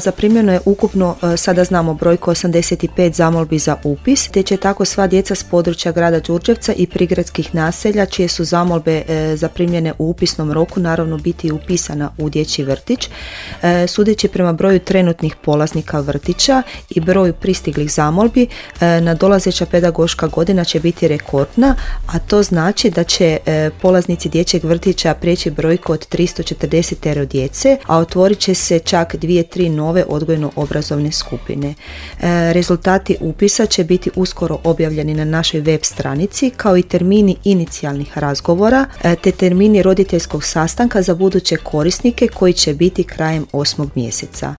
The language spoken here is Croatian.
Zaprimljeno je ukupno, sada znamo brojku, 85 zamolbi za upis, te će tako sva djeca s područja grada Đurđevca i prigradskih naselja čije su zamolbe zaprimljene u upisnom roku naravno biti upisana u dječji vrtić. Sudeći prema broju trenutnih polaznika vrtića i broju pristiglih zamolbi, nadolazeća pedagoška godina će biti rekordna, a to znači da će polaznici dječjeg vrtića prijeći brojku od 340 djece, a otvorit će se čak 2-3 nove odgojno-obrazovne skupine. Rezultati upisa će biti uskoro objavljeni na našoj web stranici, kao i termini inicijalnih razgovora, te termini roditeljskog sastanka za buduće korisnike koji će biti krajem 8. mjeseca.